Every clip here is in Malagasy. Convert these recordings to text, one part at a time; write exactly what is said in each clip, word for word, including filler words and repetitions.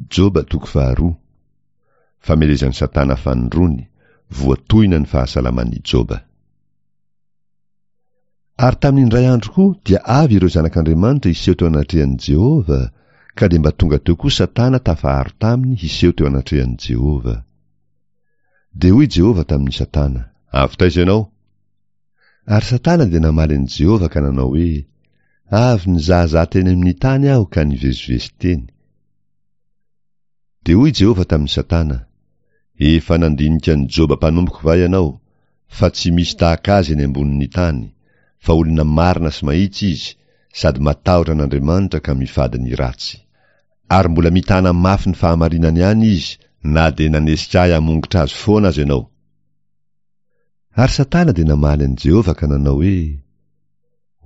Joba toko faharoa. Famelezan'i Satana fanindroany, voatohina ny fahasalaman'i Joba. Ary tamin'ny indray andro koa dia avy ireo zanak'Andriamanitra hiseho teo anatrehan'i Jehovah, ka dia mba tonga teo koa Satana tafaharo taminy hiseho teo anatrehan'i Jehovah. Dia hoy Jehovah tamin'i Satana, Avy taiza ianao? Ary Satana dia namaly an'i Jehovah ka nanao hoe, Avy nizahazaha teny amin'ny tany aho ka nivezivezy teny. Dia hoy Jehovah tamin'i Satana, Efa nandinika an'i Joba mpanompoko va ianao, fa tsy misy tahaka azy eny ambonin'ny tany, fa olona marina sy mahitsy izy, sady matahotra an'Andriamanitra ka mifady ny ratsy. Ary mbola mitana mafy ny fahamarinany ihany izy na dia nanesika ahy hamongotra azy foana aza ianao. Ary Satana dia namaly an'i Jehovah ka nanao hoe,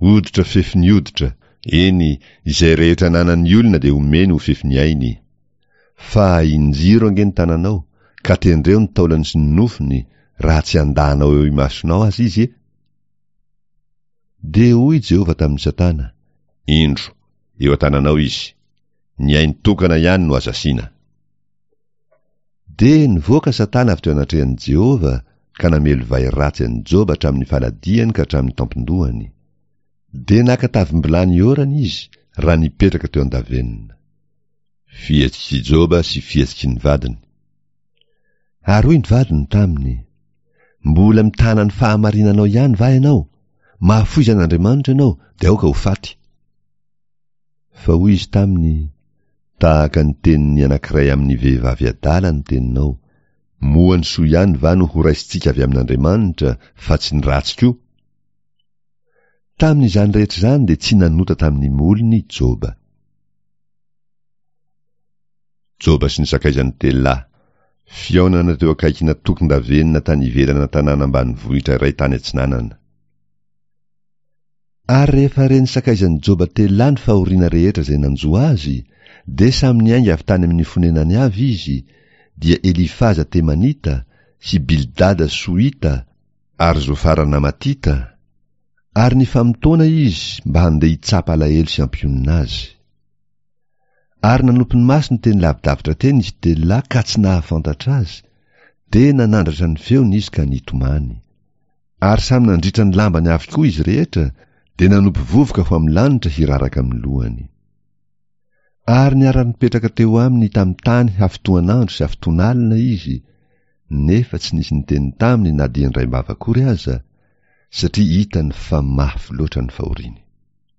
Hoditra fefin'ny hoditra, eny, izay rehetra ananan'ny olona dia omeny ho fefin'ny ainy. Fa injiro ange ny tananao, ka tendreo ny taolany sy ny nofony, raha tsy handahanao eo imasonao aza izy e! Dia hoy Jehovah tamin'i Satana, Indro, eo an-tananao izy. Ny ainy tokana ihany no aza asiana. Dia nivoaka Satana avy teo anatrehan'i Jehovah ka namely vay ratsy an'i Joba hatramin'ny faladiany ka hatramin'ny tampon-dohany. Dia naka tavim-bilany orana izy raha nipetraka teo an-davenona. Fihetsik'i Joba sy fihetsiky ny vadiny. Ary hoy ny vadiny taminy, Mbola mitana ny fahamarinanao ihany va ianao? Mahafoiza an'Andriamanitra ianao, dia aoka ho faty. Fa hoy izy taminy, Tahaka ny tenin'ny anankiray amin'ny vehivavy adala ny teninao, moa ny soa ihany va no horaisintsika avy amin'Andriamanitra fa tsy ny ratsy koa? Tamin'izany rehetra izany dia tsy nanota tamin'ny molony Joba. Joba sy ny sakaizany telo lahy. Fihaonana teo akaikina tokon-davenona tany ivelana tanàna ambanivohitra iray tany atsinanana. Ary rehefa ren'ny sakaizan'i Joba telo lahy ny fahoriana rehetra izay nanjo azy, dia samy niainga avy tany amin'ny fonenany avy izy, dia Elifaza Temanita, sy Bildada Sohita, ary Zofara Namatita, ary nifamotoana izy mba handeha hitsapa alahelo sy hampionona azy. Ary nanopy ny masony teny lavidavitra teny izy telo lahy ka tsy nahafantatra azy, dia nanandratra ny feony izy ka nitomany. Ary samy nandritra ny lambany avokoa izy rehetra, dia nanopy vovoka ho amin'ny lanitra hiraraka amin'ny lohany. Ary niara-nipetraka teo aminy tamin'ny tany hafitoan'andro sy hafitoan'alina izy, nefa tsy nisy niteny taminy na dia indraim-bava akory aza, satria hitany fa mafy loatra ny fahoriany.